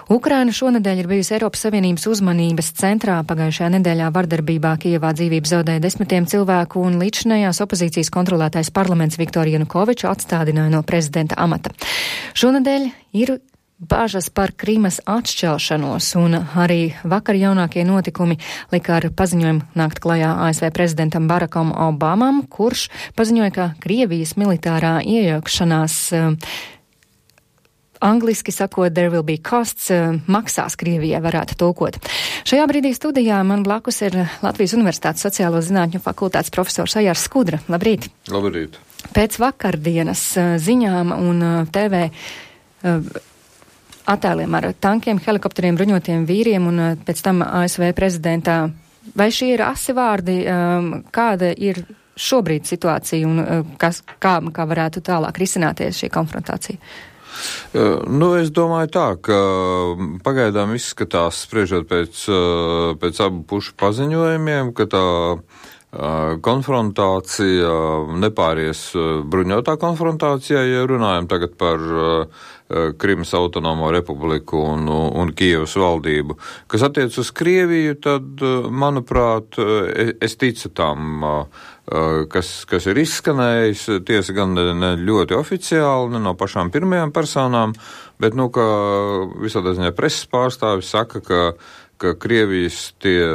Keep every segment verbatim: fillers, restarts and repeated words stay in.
Ukraina šonedēļ ir bijusi Eiropas Savienības uzmanības centrā. Pagājušajā nedēļā vardarbībā Kijevā dzīvību zaudēja desmitiem cilvēku un līdzinājās opozīcijas kontrolētais parlaments Viktoru Janukoviču atstādināja no prezidenta amata. Šonedēļ ir bāžas par Krimas atšķelšanos, un arī vakar jaunākie notikumi lika ar paziņojumu nākt klajā A S V prezidentam Barackam Obamam, kurš paziņoja, ka Krievijas militārā iejaukšanās angliski sakot, there will be costs, maksās Krievijai varētu tulkot. Šajā brīdī studijā man blakus ir Latvijas Universitātes sociālo zinātņu fakultātes profesors Ajārs Skudra. Labrīt! Labrīt! Pēc vakardienas ziņām un T V attēliem ar tankiem, helikopteriem, bruņotiem vīriem un pēc tam A S V prezidentā, vai šie ir asi vārdi, kāda ir šobrīd situācija un kas, kā, kā varētu tālāk risināties šī konfrontācija? Nu, es domāju tā, ka pagaidām izskatās, spriežot pēc, pēc abu pušu paziņojumiem, ka tā konfrontācija nepāries bruņotā konfrontācijā, ja runājam tagad par Krimas autonomo republiku un, un Kijevas valdību. Kas attiec uz Krieviju, tad, manuprāt, es ticu tam, kas, kas ir izskanējis, tiesa gan ne, ne ļoti oficiāli, ne no pašām pirmajām personām, bet, nu, ka visādā ziņā preses pārstāvis saka, ka ka Krievijas tie,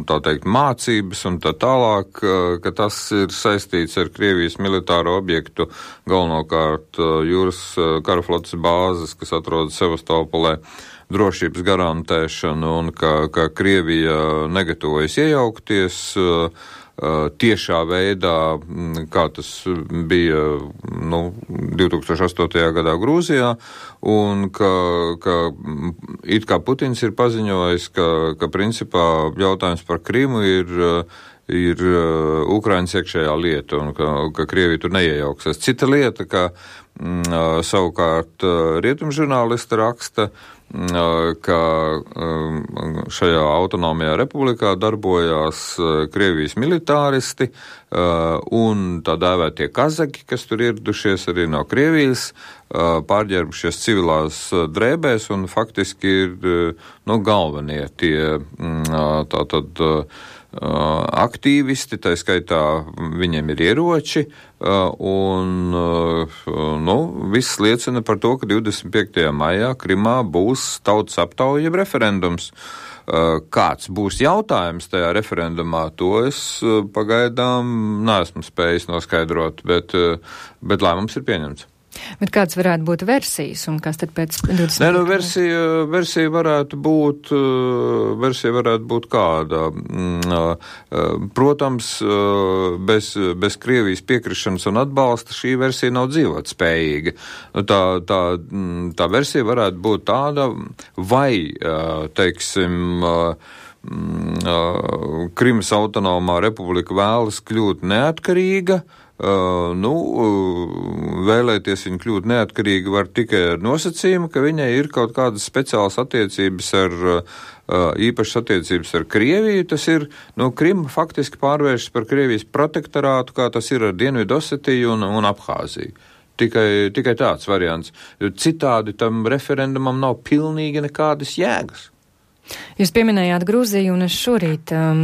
tā teikt, mācības un tā tālāk, ka tas ir saistīts ar Krievijas militāro objektu, galvenokārt jūras karaflotes bāzes, kas atrodas Sevastopolē, drošības garantēšanu un ka, ka Krievija negatavojas iejaukties tiešā veidā, kā tas bija nu, divi tūkstoši astotajā gadā Grūzijā, un ka, ka it kā Putins ir paziņojis, ka, ka principā jautājums par Krimu ir, ir Ukrainas iekšējā lieta, un ka, ka Krievija tur neiejauksies. Cita lieta, ka m, savukārt rietumžurnālisti raksta, ka šajā autonomajā republikā darbojās Krievijas militāristi un tā dēvētie kazaki, kas tur ieradušies arī no Krievijas, pārģērbušies civilās drēbēs un faktiski ir nu, galvenie tie tātad aktīvisti, tā skaitā viņiem ir ieroči, un nu, viss liecina par to, ka divdesmit piektajā maijā Krimā būs tautas aptauja jeb referendums. Kāds būs jautājums tajā referendumā, to es pagaidām neesmu spējis noskaidrot, bet, bet lēmums ir pieņemts. Bet kāds varētu būt versijas un kas tad pēc divdesmit? Nē, nu, versija, versija varētu būt, versija varētu būt kāda. Protams, bez, bez Krievijas piekrišanas un atbalsta šī versija nav dzīvot spējīga. Tā, tā, tā versija varētu būt tāda, vai, teiksim, Krimas autonomā republika vēlas kļūt neatkarīga. Uh, nu, uh, vēlēties viņu kļūt neatkarīgi var tikai ar nosacījumu, ka viņai ir kaut kādas speciālas attiecības ar, uh, īpašas attiecības ar Krieviju. Tas ir, nu, Krima faktiski pārvēršas par Krievijas protektorātu, kā tas ir ar Dienvidosetiju un, un Abhāziju. Tikai, tikai tāds variants. Citādi tam referendumam nav pilnīgi nekādas jēgas. Jūs pieminējāt Grūziju, un es šorīt um,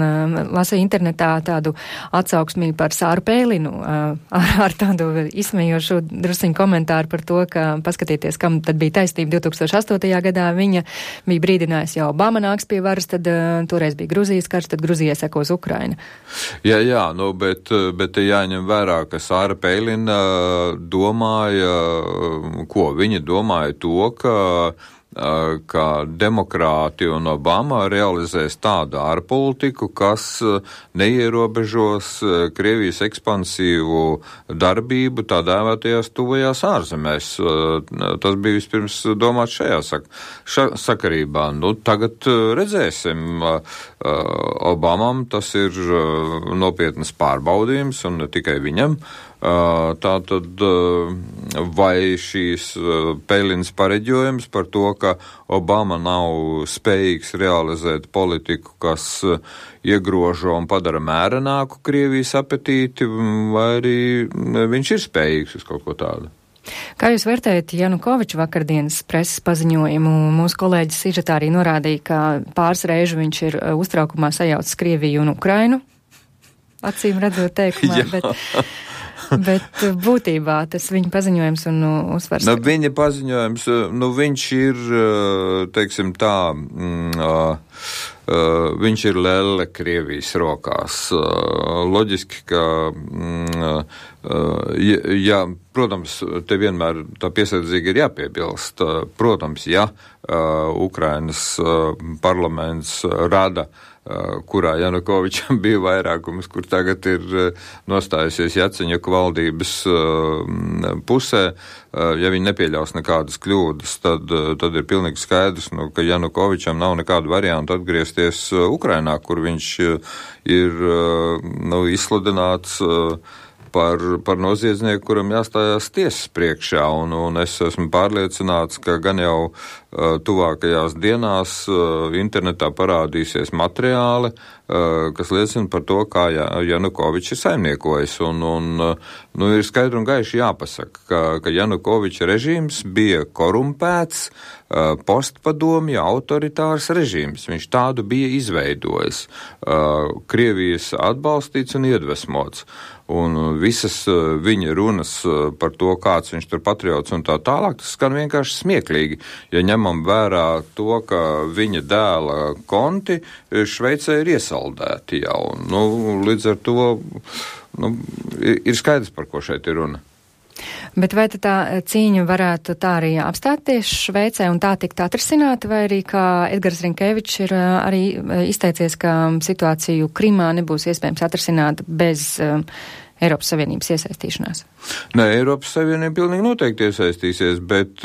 lasīju internetā tādu atsauksmī par Sāru Pēlinu, uh, ar, ar tādu izsmejošu drusiņu komentāru par to, ka paskatieties, kam tad bija taisnība divi tūkstoši astotajā gadā. Viņa bija brīdinājusi, jau Obama nāks pie varas, tad uh, toreiz bija Grūzijas karš, tad Grūzijai sekos Ukraina. Jā, jā, nu, bet, bet jāņem vērā, ka Sāra Pēlina domāja, ko viņa domāja to, ka ka demokrāti un Obama realizēs tādu ārpolitiku, kas neierobežos Krievijas ekspansīvu darbību tā dēvētajās tuvajās ārzemēs. Tas bija vispirms domāts šajā sak- ša- sakarībā. Nu, tagad redzēsim. Obamam tas ir nopietnas pārbaudījums un ne tikai viņam. Tātad vai šīs Pēlins pareģojums par to, ka Obama nav spējīgs realizēt politiku, kas iegrožo un padara mērenāku Krievijas apetīti, vai arī viņš ir spējīgs uz kaut ko tādu? Kā jūs vērtējat Janukoviča vakardienas preses paziņojumu? Mūsu kolēģis sižetā arī norādīja, ka pāris reižu viņš ir uztraukumā sajaucis Krieviju un Ukrainu. Acīm redzot teikumā, bet, bet būtībā tas viņa paziņojums un uzsvars. Nu, viņa paziņojums, nu viņš ir, teiksim tā, mm, uh, Uh, viņš ir lelle Krievijas rokās. Uh, loģiski, ka, mm, uh, ja, ja, protams, te vienmēr tā piesardzīgi ir jāpiebilst, uh, protams, ja uh, Ukrainas uh, parlaments rada, uh, kurā Janukovičam bija vairākums, kur tagad ir uh, nostājusies Jaceņuka valdības uh, pusē, uh, ja viņi nepieļaus nekādas kļūdas, tad, uh, tad ir pilnīgi skaidrs, nu, ka Janukovičam nav nekādu variantu atgriezties Ukrainā, kur viņš ir nu, izsludināts par, par noziedznieku, kuram jāstājās tiesas priekšā, un, un es esmu pārliecināts, ka gan jau uh, tuvākajās dienās uh, internetā parādīsies materiāli, uh, kas liecina par to, kā Janukovičs ir saimniekojis, un, un uh, nu, ir skaidri un gaiši jāpasaka, ka, ka Janukoviča režīms bija korumpēts, uh, postpadomja autoritārs režīms. Viņš tādu bija izveidojis, uh, Krievijas atbalstīts un iedvesmots. Un visas viņa runas par to, kāds viņš tur patriots un tā tālāk, tas skan vienkārši smieklīgi. Ja ņemam vērā to, ka viņa dēla konti Šveicē ir iesaldēti jau. Nu, līdz ar to nu, ir skaidrs, par ko šeit ir runa. Bet vai tā cīņa varētu tā arī apstāties Šveicē un tā tikt atrisināta, vai arī, kā Edgars Rinkevičs ir arī izteicies, ka situāciju Krimā nebūs iespējams atrisināt bez um, Eiropas Savienības iesaistīšanās? Nē, Eiropas Savienība pilnīgi noteikti iesaistīsies, bet,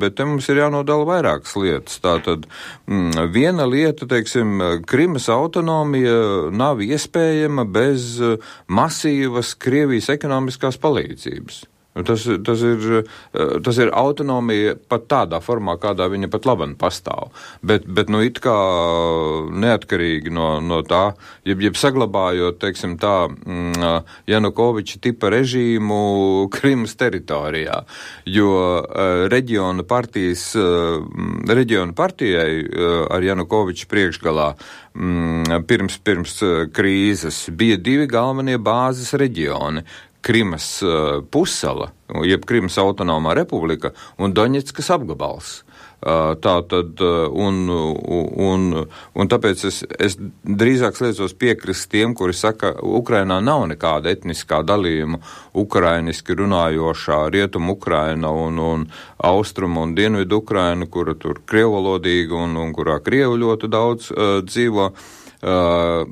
bet te mums ir jānodala vairākas lietas. Tātad mm, viena lieta, teiksim, Krimas autonomija nav iespējama bez masīvas Krievijas ekonomiskās palīdzības. Tas, tas, ir, tas ir autonomija pat tādā formā, kādā viņa pat laban pastāv. Bet, bet nu it kā neatkarīgi no, no tā, jeb, jeb saglabājot, teiksim tā, Janukoviča tipa režīmu Krimas teritorijā, jo reģiona partijas, reģiona partijai ar Janukoviča priekšgalā pirms, pirms krīzes bija divi galvenie bāzes reģioni. Krimas uh, pusala, jeb Krimas autonomā republika un Doņetskas apgabals. Uh, tā tad, uh, un, un, un tāpēc es, es drīzāk sliecos piekrist tiem, kuri saka, Ukrainā nav nekāda etniskā dalījuma, ukrainiski runājošā rietumu Ukraina un, un austrumu un dienvidu Ukraina, kura tur krievalodīga un, un kurā krievu ļoti daudz uh, dzīvo. Uh,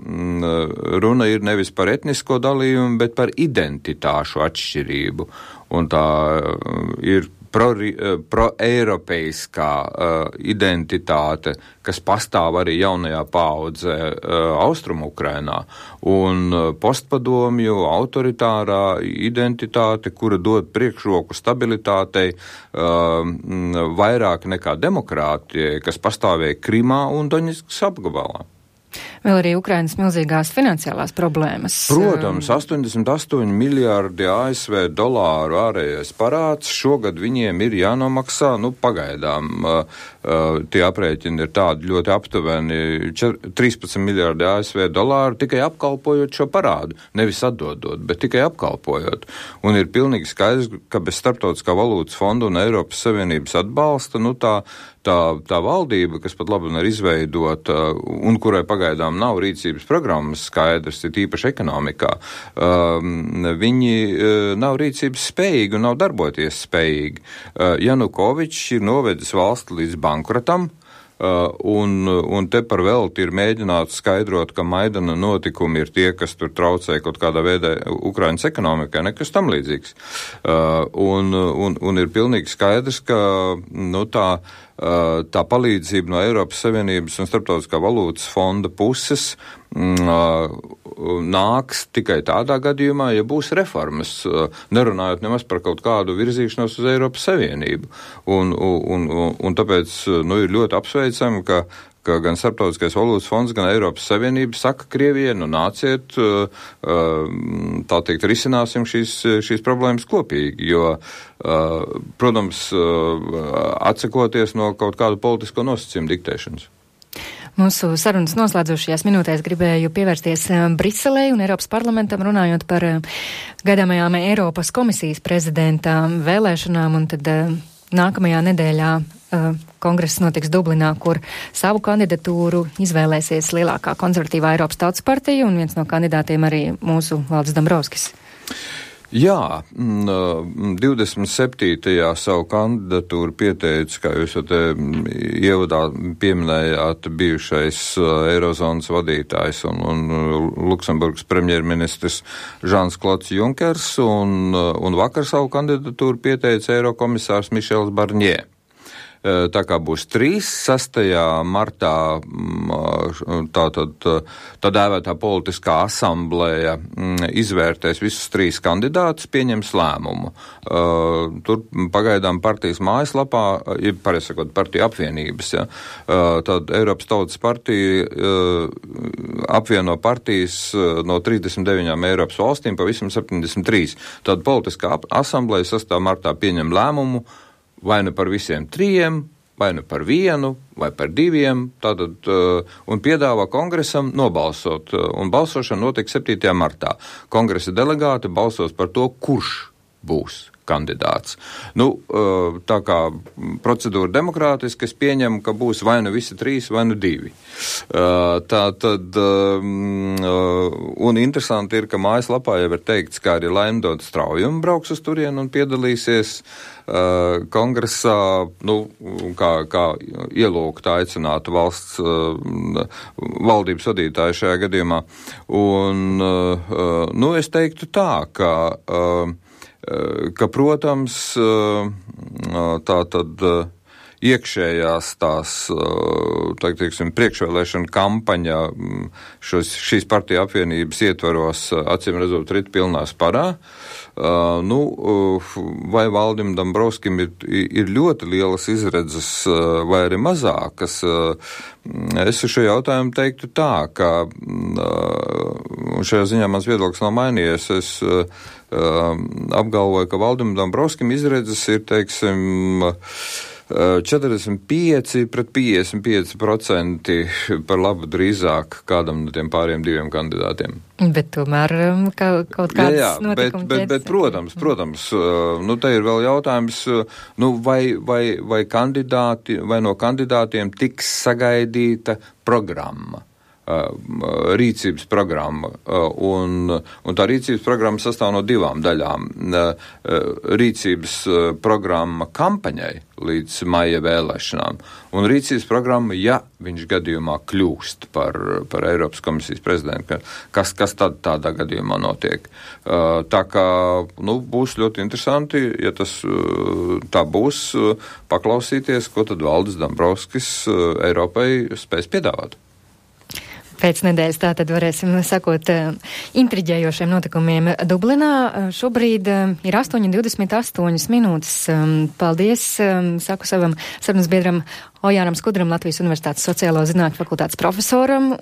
runa ir nevis par etnisko dalījumu, bet par identitāšu atšķirību. Un tā uh, ir pro-eiropeiskā pro uh, identitāte, kas pastāv arī jaunajā paaudzē uh, Austrumu Ukrainā, un uh, postpadomju autoritārā identitāte, kura dod priekšroku stabilitātei uh, vairāk nekā demokrātijai, kas pastāvēja Krimā un Doņetskas apgabalā. Vēl arī Ukrainas milzīgās finansiālās problēmas. Protams, astoņdesmit astoņi miljārdi A S V dolāru ārējais parāds. Šogad viņiem ir jānomaksā, nu, pagaidām. Uh, uh, tie aprēķini ir tādi ļoti aptuveni trīspadsmit miljārdi A S V dolāru tikai apkalpojot šo parādu. Nevis atdodot, bet tikai apkalpojot. Un ir pilnīgi skaidrs, ka bez Starptautiskā valūtas fonda un Eiropas Savienības atbalsta, nu, tā Tā, tā valdība, kas pat labi ir izveidota un kurai pagaidām nav rīcības programmas skaidrs, ir īpaši ekonomikā, um, viņi uh, nav rīcības spējīgi un nav darboties spējīgi. Uh, Janukovičs ir novedis valsti līdz bankrotam, Uh, un, un te par velti ir mēģināts skaidrot, ka Maidana notikumi ir tie, kas tur traucē kaut kādā veidā Ukrainas ekonomikai, nekas tam līdzīgs. Uh, un, un, un ir pilnīgi skaidrs, ka nu, tā, uh, tā palīdzība no Eiropas Savienības un Starptautiskā valūtas fonda puses uh, nāks tikai tādā gadījumā, ja būs reformas, nerunājot nemaz par kaut kādu virzīšanos uz Eiropas Savienību. Un, un, un, un tāpēc, nu, ir ļoti apsveicami, ka ka gan Starptautiskais valūtas fonds, gan Eiropas Savienība saka Krievijai, nu nāciet, tā teikt, risināsim šīs, šīs problēmas kopīgi, jo, protams, atsakoties no kaut kādu politisko nosacījumu diktēšanas. Mūsu sarunas noslēdzošajās minūtēs gribēju pievērsties Briselei un Eiropas parlamentam, runājot par gaidāmajām Eiropas komisijas prezidenta vēlēšanām, un tad nākamajā nedēļā uh, kongress notiks Dublinā, kur savu kandidatūru izvēlēsies lielākā konservatīvā Eiropas Tautas partija, un viens no kandidātiem arī mūsu Valdis Dombrovskis. Jā, divdesmit septītajā savu kandidatūru pieteica, kā jūs jau te ievadā pieminējāt, bijušais Eirozonas vadītājs un, un Luksemburgas premjerministrs Žans Klods Junkers, un, un vakar savu kandidatūru pieteica Eirokomisārs Mišels Barņē. Tā kā būs trīs, sastajā martā tā tad tā dēvētā politiskā asamblēja izvērtēs visus trīs kandidātus, pieņems lēmumu. Tur pagaidām partijas mājaslapā, ja pareizi sakot, partija apvienības, ja, tad Eiropas Tautas partija apvieno partijas no trīsdesmit deviņām Eiropas valstīm, pavisam septiņdesmit trīs. Tad politiskā asamblēja sastajā martā pieņem lēmumu vai nu par visiem trījiem, vai nu par vienu, vai par diviem, tātad, un piedāvā kongresam nobalsot, un balsošana notiek septītajā martā. Kongresa delegāti balsos par to, kurš būs kandidāts. Nu, tā kā procedūra demokrātiski, es pieņemu, ka būs vai nu visi trīs, vai nu divi. Tā tad, un interesanti ir, ka mājaslapā jau ir teikts, ka arī Laimdota Straujuma brauks uz turienu un piedalīsies kongresā, nu, kā, kā ielūgta aicinātu valsts valdības vadītāju šajā gadījumā. Un, nu, es teiktu tā, ka ka, protams, tā tad iekšējās tās, tā teiksim, priekšvēlēšana kampaņa šos, šīs partija apvienības ietvaros, acīm redzot, rit pilnā sparā. Uh, nu, uh, vai Valdim Dombrovskim ir, ir ļoti lielas izredzes, uh, vai arī mazākas? Uh, es šo jautājumu teiktu tā, ka uh, šajā ziņā mans viedoklis nav mainījies. Es uh, apgalvoju, ka Valdim Dombrovskim izredzes ir, teiksim, četrdesmit pieci pret piecdesmit pieci procenti par labu drīzāk kādam no tiem pāriem diviem kandidātiem. Bet tomēr ka, kaut kāds jā, jā, notikums bet, bet, bet, protams, protams, nu te ir vēl jautājums, nu vai, vai, vai kandidāti, vai no kandidātiem tiks sagaidīta programma. Rīcības programma, un, un tā rīcības programma sastāv no divām daļām. Rīcības programma kampaņai līdz maija vēlēšanām, un rīcības programma, ja viņš gadījumā kļūst par, par Eiropas komisijas prezidentu, kas, kas tad tādā gadījumā notiek. Tā kā, nu, būs ļoti interesanti, ja tas tā būs, paklausīties, ko tad Valdis Dombrovskis Eiropai spēs piedāvāt. Pēc nedēļas tātad varēsim sakot intriģējošiem notikumiem Dublinā. Šobrīd ir astoņi divdesmit astoņas minūtes. Paldies, saku savam sarunas biedram Ojāram Skudram, Latvijas Universitātes sociālo zinātņu fakultātes profesoram.